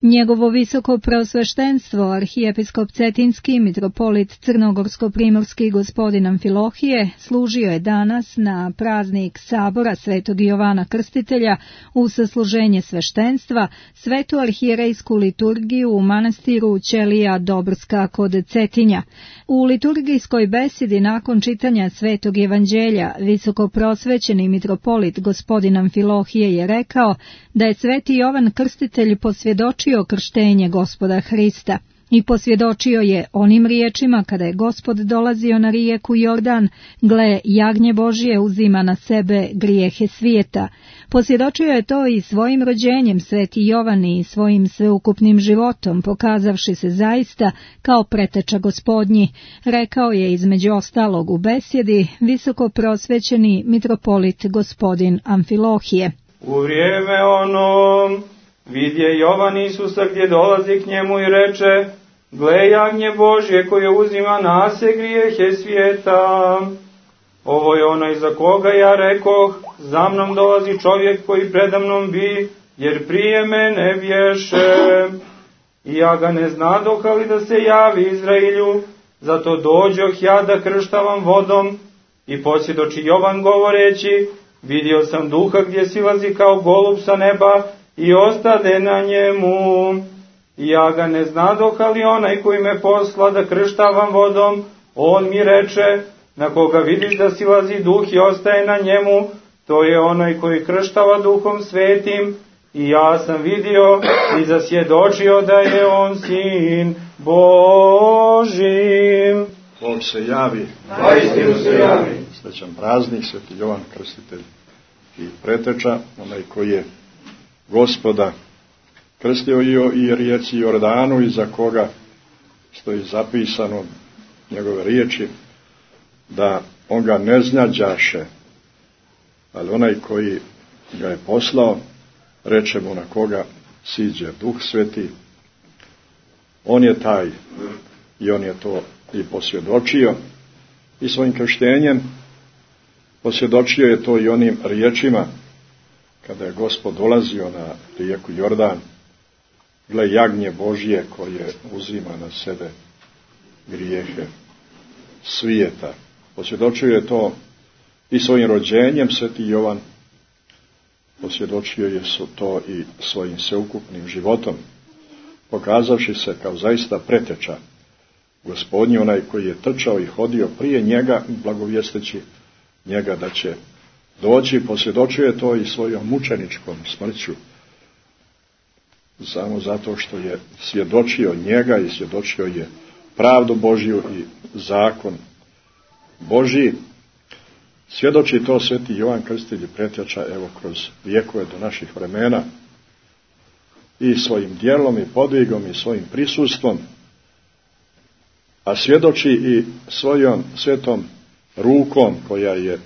Njegovo visoko preosveštenstvo, arhijepiskop Cetinski, mitropolit Crnogorsko-primorski gospodin Amfilohije, služio je danas na praznik sabora Svetog Jovana Krstitelja u sasluženje sveštenstva, svetu arhijerejsku liturgiju u manastiru Ćelija Dobrska kod Cetinja. U liturgijskoj besedi nakon čitanja Svetog Evanđelja, visoko prosvećeni mitropolit gospodin Amfilohije je rekao da je Sveti Jovan Krstitelj posvjedočio krštenje Gospoda Hrista i posvjedočio je onim riječima kada je Gospod dolazio na rijeku Jordan: gle, jagnje Božje uzima na sebe grijehe svijeta. Posvjedočio je to i svojim rođenjem Sveti Jovan i svojim sveukupnim životom, pokazavši se zaista kao preteča Gospodnji, rekao je između ostalog u besjedi visoko prosvećeni mitropolit gospodin Amfilohije. U vrijeme ono vidje Jovan Isusa gdje dolazi k njemu i reče: gle, jagnje Božje koje uzima na se grijehe svijeta. Ovo je onaj za koga ja rekoh: za mnom dolazi čovjek koji predamnom bi, jer prije mene bješe. I ja ga ne znadoh, ali da se javi Izrailju, zato dođoh ja da krštavam vodom. I posvjedoči Jovan govoreći: vidio sam duha gdje silazi kao golub sa neba i ostade na njemu. I ja ga ne znadoh, ali onaj koji me posla da krštavam vodom, on mi reče: na koga vidiš da silazi duh i ostaje na njemu, to je onaj koji krštava Duhom Svetim. I ja sam vidio i zasvjedočio da je on sin Božji. Bog se javi. Zaistinu se javi. Srećan praznik, Sveti Jovan Krstitelj i preteča, onaj koji je Gospoda krstio i rijeci Jordanu, i za koga stoji zapisano njegove riječi da on ga ne znađaše, ali onaj koji ga je poslao reče mu: na koga siđe Duh Sveti, on je taj. I on je to i posvjedočio i svojim krštenjem. Posvjedočio je to i onim riječima kada je Gospod dolazio na rijeku Jordan: gle, jagnje Božje koje uzima na sebe grijehe svijeta. Posvjedočio je to i svojim rođenjem. Sveti Jovan posvjedočio je to i svojim sveukupnim životom, pokazavši se kao zaista preteča Gospodnji, onaj koji je trčao i hodio prije njega, blagovijesteći njega da će doći. Posvjedočio je to i svojom mučeničkom smrću, samo zato što je svjedočio njega i svjedočio je pravdu Božju i zakon Božji. Svjedoči to Sveti Jovan Krstitelj i preteča, evo, kroz vjekove do naših vremena, i svojim djelom i podvigom i svojim prisustvom, a svjedoči i svojom svetom rukom koja je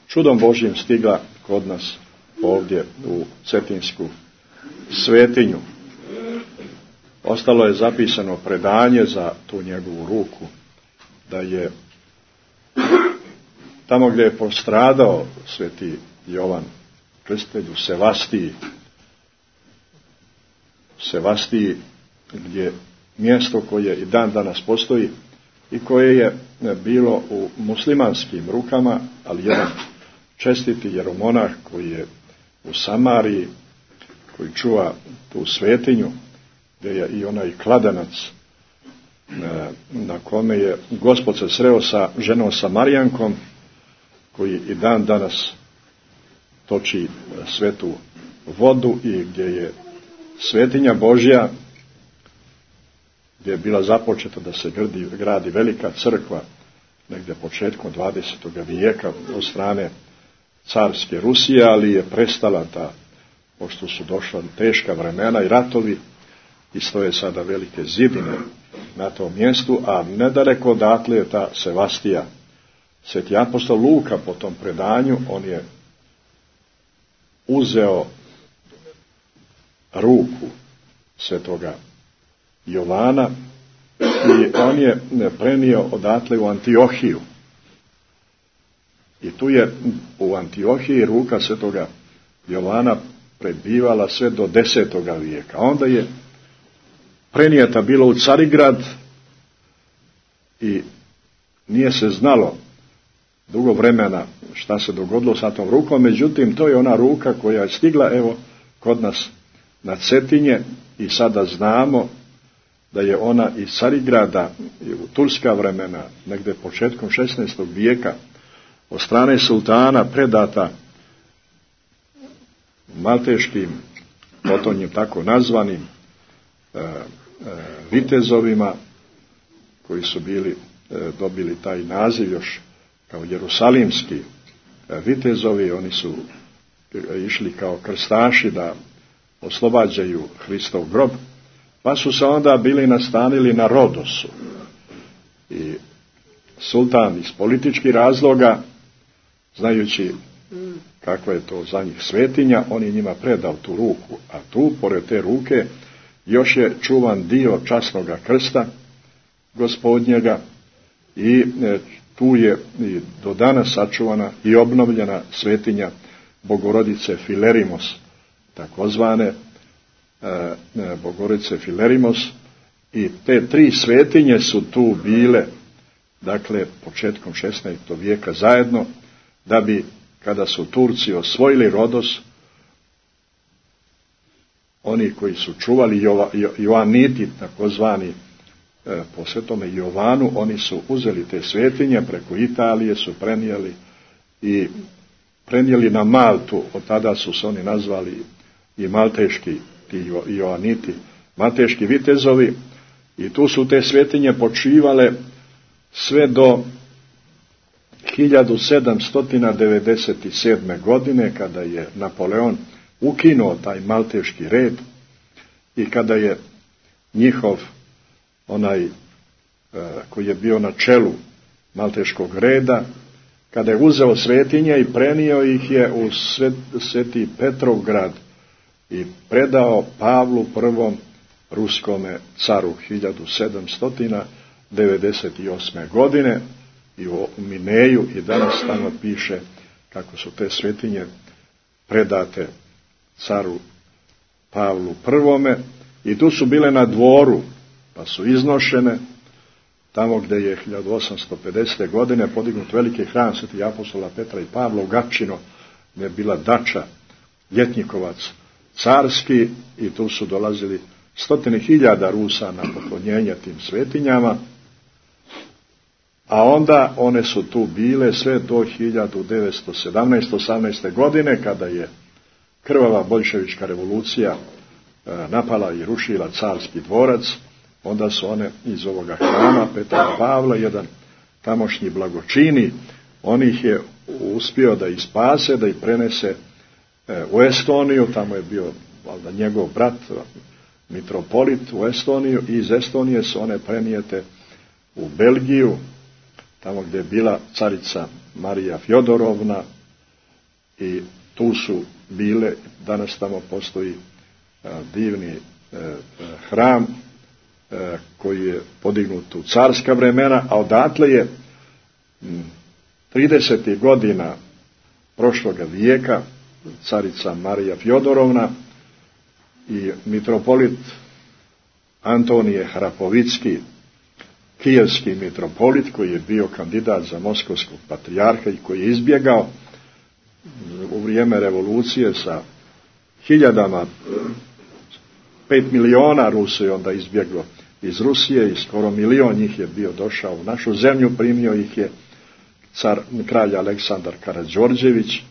čudom Božjim stigla kod nas ovdje u Cetinsku svetinju. Ostalo je zapisano predanje za tu njegovu ruku, da je tamo gdje je postradao Sveti Jovan Krstitelj u Sevastiji, gdje mjesto koje i dan danas postoji i koje je bilo u muslimanskim rukama, ali jedan čestiti jeromonah koji je u Samariji, koji čuva tu svetinju, gdje je i onaj kladenac na kome je Gospod se sreo sa ženom Samarijankom, koji i dan danas toči svetu vodu i gdje je svetinja Božja, gdje je bila započeta da se gradi velika crkva negdje početkom 20. vijeka od strane carske Rusije, ali je prestala ta, pošto su došla teška vremena i ratovi, i stoje sada velike zidine na tom mjestu, a nedaleko odatle je ta Sevastija. Sveti apostol Luka po tom predanju, on je uzeo ruku svetoga Jovana i on je prenio odatle u Antiohiju. I tu je u Antiohiji ruka svetoga Jovana prebivala sve do 10. vijeka. Onda je prenijeta bilo u Carigrad i nije se znalo dugo vremena šta se dogodilo sa tom rukom, međutim to je ona ruka koja je stigla evo kod nas na Cetinje i sada znamo da je ona iz Carigrada u turska vremena, negdje početkom 16. vijeka, od strane sultana predata malteškim, potonjim tako nazvanim vitezovima, koji su dobili taj naziv još kao jerusalimski vitezovi. Oni su išli kao krstaši da oslobađaju Hristov grob, pa su se onda bili nastanili na Rodosu. I sultan iz političkih razloga, znajući kakva je to za njih svetinja, on je njima predao tu ruku, a tu, pored te ruke, još je čuvan dio časnoga krsta Gospodnjega i tu je i do danas sačuvana i obnovljena svetinja Bogorodice Filerimos, takozvane Bogorodice Filerimos, i te tri svetinje su tu bile, dakle, početkom 16. vijeka zajedno, da bi, kada su Turci osvojili Rodos, oni koji su čuvali Joaniti, takozvani po svetome Jovanu, oni su uzeli te svetinje, preko Italije su prenijeli na Maltu. Od tada su se oni nazvali i malteški, ti Joaniti, malteški vitezovi, i tu su te svetinje počivale sve do 1797. godine, kada je Napoleon ukinuo taj malteški red i kada je njihov onaj koji je bio na čelu malteškog reda, kada je uzeo svetinje i prenio ih je u Sveti Petrovgrad i predao Pavlu I ruskome caru 1798. godine, i u Mineju i danas tamo piše kako su te svetinje predate caru Pavlu I, i tu su bile na dvoru, pa su iznošene tamo gdje je 1850. godine podignut veliki hram Svetih apostola Petra i Pavla u Gapčino, gdje je bila dača, ljetnikovac carski, i tu su dolazili 100.000 Rusa na poklonjenje tim svetinjama, a onda one su tu bile sve do 1917-18. godine, kada je krvava boljševička revolucija napala i rušila carski dvorac. Onda su one iz ovoga hrama Petra i Pavla, jedan tamošnji blagočini, on ih je uspio da ih spase, da ih prenese u Estoniju. Tamo je bio valjda njegov brat mitropolit u Estoniju, i iz Estonije su one prenijete u Belgiju, tamo gdje je bila carica Marija Fjodorovna, i tu su bile, danas tamo postoji divni hram koji je podignut u carska vremena, a odatle je 30. godina prošloga vijeka carica Marija Fjodorovna i mitropolit Antonije Hrapovicki, kijevski mitropolit, koji je bio kandidat za moskovskog patrijarha i koji je izbjegao u vrijeme revolucije sa hiljadama, 5 miliona Rusa je onda izbjeglo iz Rusije, i skoro 1 milion njih je bio došao u našu zemlju. Primio ih je kralj Aleksandar Karađorđević,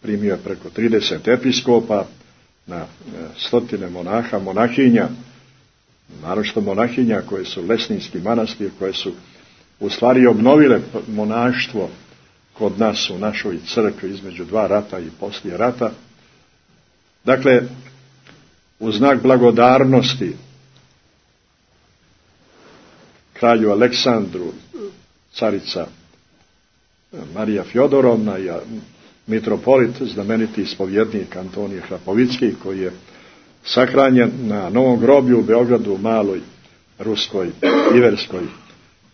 primio je preko 30 episkopa, na 100 monaha, monahinja, naročito monahinja koje su Lesninski manastir, koje su u stvari obnovile monaštvo kod nas u našoj crkvi između 2 rata i poslije rata. Dakle, u znak blagodarnosti kralju Aleksandru, carica Marija Fjodorovna i mitropolit, znameniti ispovjednik Antonije Hrapovicki, koji je sahranjen na Novom groblju u Beogradu, u maloj ruskoj iverskoj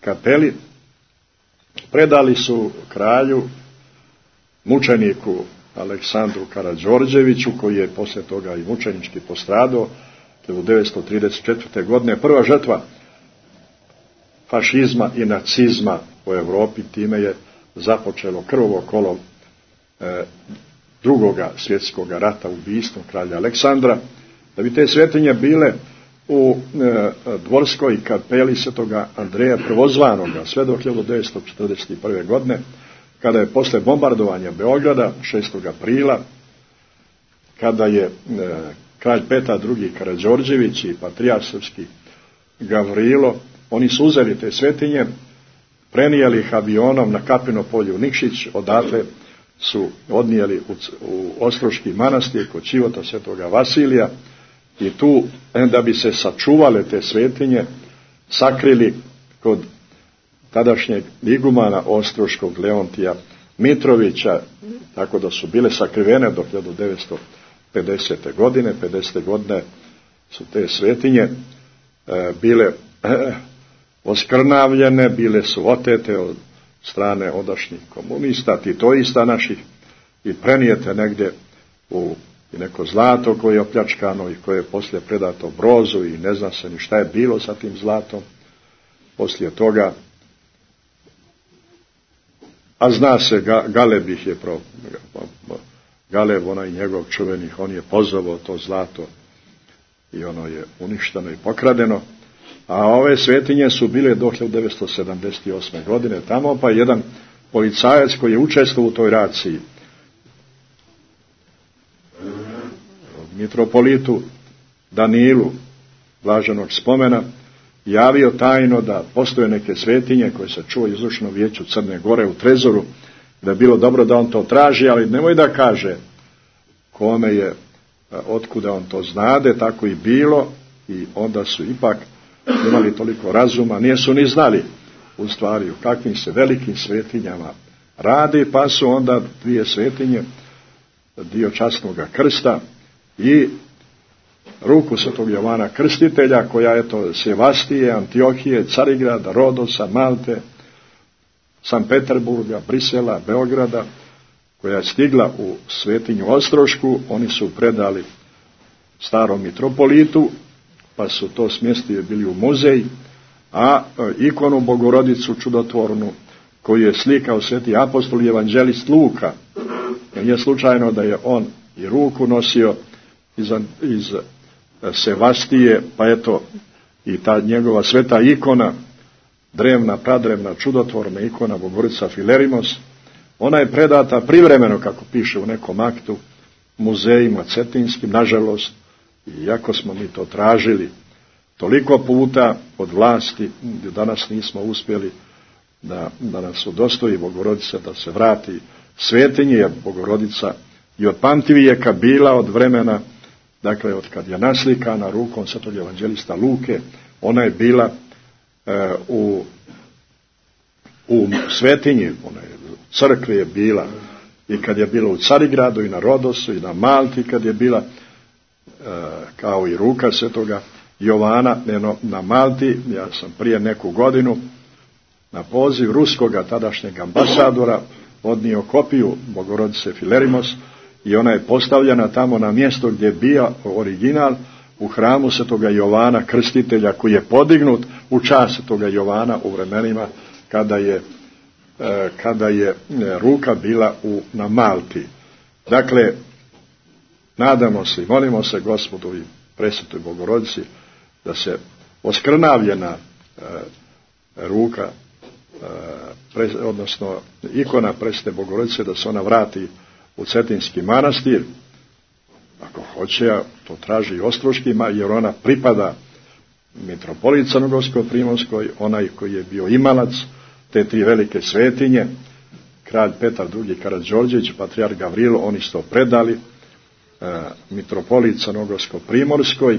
kapeli, predali su kralju, mučeniku Aleksandru Karađorđeviću, koji je poslije toga i mučenički postradao, 1934. godine, prva žrtva fašizma i nacizma u Europi, time je započelo krvovo kolo drugoga svjetskog rata, ubistvom kralja Aleksandra. Da bi te svetinje bile u dvorskoj kapeli svetoga Andreja Prvozvanoga sve do 1941. godine, kada je posle bombardovanja Beograda 6. aprila, kada je kralj Petar II. Karađorđević i patrijarh srpski Gavrilo, oni su uzeli te svetinje, prenijeli ih avionom na Kapino polje u Nikšić, odatle su odnijeli u Ostroški manastir kod Čivota svetoga Vasilija i tu, da bi se sačuvale te svetinje, sakrili kod tadašnjeg igumana Ostroškog Leontija Mitrovića, tako da su bile sakrivene do 1950. godine. 50. godine su te svetinje bile oskrnavljene, bile su otete od strane ondašnjih komunista, titoista naših i prenijete negdje u neko zlato koje je opljačkano i koje je poslije predato Brozu i ne zna se ni šta je bilo sa tim zlatom poslije toga. A zna se, Galeb ih je Galeb, onaj njegov čuvenih, on je pozvao to zlato i ono je uništeno i pokradeno. A ove svetinje su bile do 1978. godine tamo, pa jedan policajac koji je učestvovao u toj raciji, mitropolitu Danilu blaženog spomena, javio tajno da postoje neke svetinje koje se čuva u izvršnom vijeću Crne Gore u Trezoru, da je bilo dobro da on to traži, ali nemoj da kaže kome je, otkuda on to znade, tako i bilo, i onda su ipak imali toliko razuma, nisu ni znali u stvari u kakvim se velikim svetinjama radi, pa su onda dvije svetinje, dio časnoga krsta i ruku svetog Jovana Krstitelja, koja je to Sevastije, Antiohije, Carigrada, Rodosa, Malte, San Peterburga, Brisela, Beograda, koja je stigla u svetinju Ostrošku, oni su predali starom mitropolitu, pa su to smjestili bili u muzej, a ikonu Bogorodicu čudotvornu, koju je slikao sveti apostol i evanđelist Luka, nije slučajno da je on i ruku nosio iz Sevastije, pa eto i ta njegova sveta ikona, drevna, pradrevna, čudotvorna ikona Bogorodica Filerimos, ona je predata privremeno, kako piše u nekom aktu, muzejima cetinskim, nažalost, iako smo mi to tražili toliko puta od vlasti, danas nismo uspjeli da nas udostoji Bogorodica da se vrati svetinje, jer Bogorodica i od pamtivijeka bila od vremena, dakle od kad je naslikana rukom svetog evanđelista Luke, ona je bila u svetinji, ona je u crkvi je bila, i kad je bila u Carigradu i na Rodosu i na Malti, kad je bila kao i ruka svetoga Jovana na Malti. Ja sam prije neku godinu na poziv ruskoga tadašnjeg ambasadora odnio kopiju Bogorodice Filerimos i ona je postavljena tamo na mjesto gdje je bio original, u hramu svetoga Jovana Krstitelja, koji je podignut u čast svetoga Jovana u vremenima kada je ruka bila na Malti. Dakle, nadamo se i molimo se Gospodu i presvetoj Bogorodici da se oskrnavljena ruka, odnosno ikona presvete Bogorodice, da se ona vrati u Cetinski manastir. Ako hoće, to traži i Ostroški, jer ona pripada mitropolit Crnogorsko-Primorskoj, onaj koji je bio imalac te tri velike svetinje, kralj Petar II. Karađorđević, patrijarh Gavrilo, oni su to predali mitropolit Crnogorsko-Primorskoj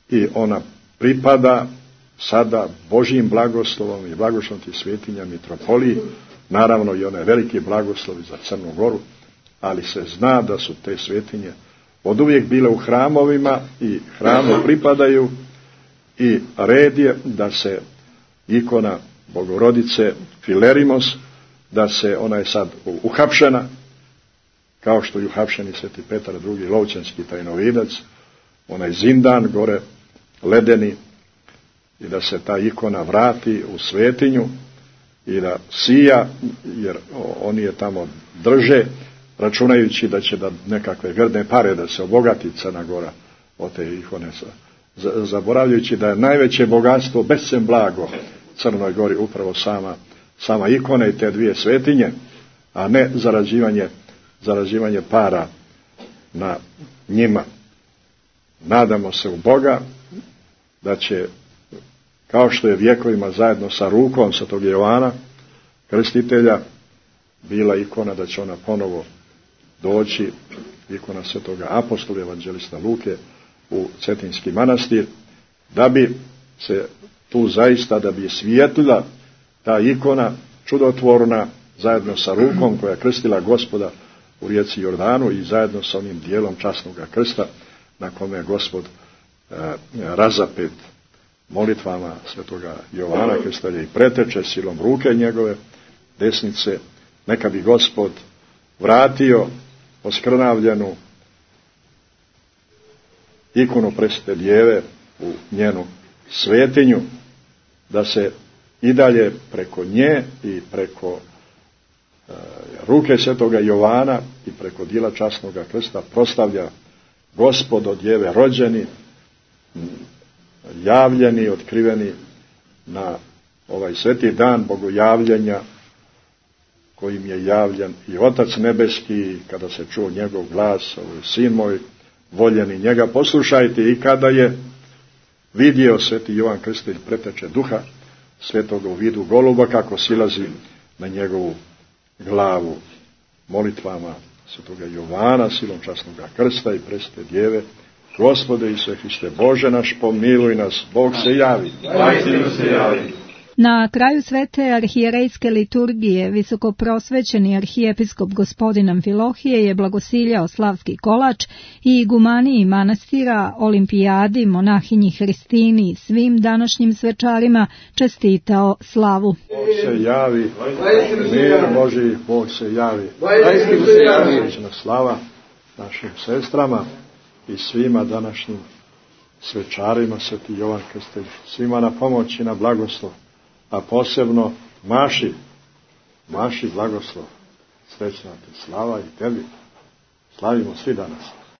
i ona pripada sada Božjim blagoslovom i blagoslovom tih svetinja mitropoliji, naravno i onaj veliki blagoslovi za Crnu Goru, ali se zna da su te svetinje od uvijek bile u hramovima i hramu pripadaju, i red je da se ikona Bogorodice Filerimos, da se, ona je sad uhapšena, kao što je uhapšen i sveti Petar II. Lovćanski tajnovidac, onaj zindan gore, ledeni, i da se ta ikona vrati u svetinju i da sija, jer oni je tamo drže, računajući da će da nekakve grdne pare da se obogati Crna Gora od te ikone, zaboravljajući da je najveće bogatstvo, bescen blago Crnoj Gori upravo sama ikona i te dvije svetinje, a ne zarađivanje para na njima. Nadamo se u Boga da će, kao što je vjekovima zajedno sa rukom Svetog Jovana Krstitelja bila ikona, da će ona ponovo doći, ikona Svetoga apostola evanđelista Luke u Cetinski manastir, da bi se tu zaista, da bi svijetlila ta ikona čudotvorna zajedno sa rukom koja je krstila Gospoda u rijeci Jordanu i zajedno sa onim dijelom časnoga krsta na kome je Gospod razapet molitvama Svetoga Jovana Krstitelja i preteče silom ruke njegove desnice. Neka bi Gospod vratio oskrnavljenu ikonu Presvete Djeve u njenu svetinju, da se i dalje preko nje i preko ruke Svetoga Jovana i preko djela časnoga krsta proslavlja Gospod od Djeve rođeni, javljeni, otkriveni na ovaj sveti dan bogojavljenja kojim je javljen i Otac nebeski, kada se čuo njegov glas, ovo je sin moj voljeni, njega poslušajte, i kada je vidio sveti Jovan Krstitelj preteče duha svetoga u vidu goluba kako silazi na njegovu glavu. Molitvama Svetoga Jovana, silom časnoga krsta i Presvete Djeve, Gospode Isuse Hriste, Bože naš, pomiluj nas, Bog se javi. Na kraju svete arhijerejske liturgije visokoprosvećeni arhijepiskop gospodin Amfilohije je blagosiljao slavski kolač i igumaniji manastira, olimpijadi, monahinji Hristini i svim današnjim svečarima čestitao slavu. Bog se javi, mir Božji, Bog se javi. Srećna slava našim sestrama i svima današnjim svečarima, sveti Jovan Krstitelj, svima na pomoć i na blagoslov, a posebno Maši blagoslov. Srećna ti slava i tebi. Slavimo svi danas.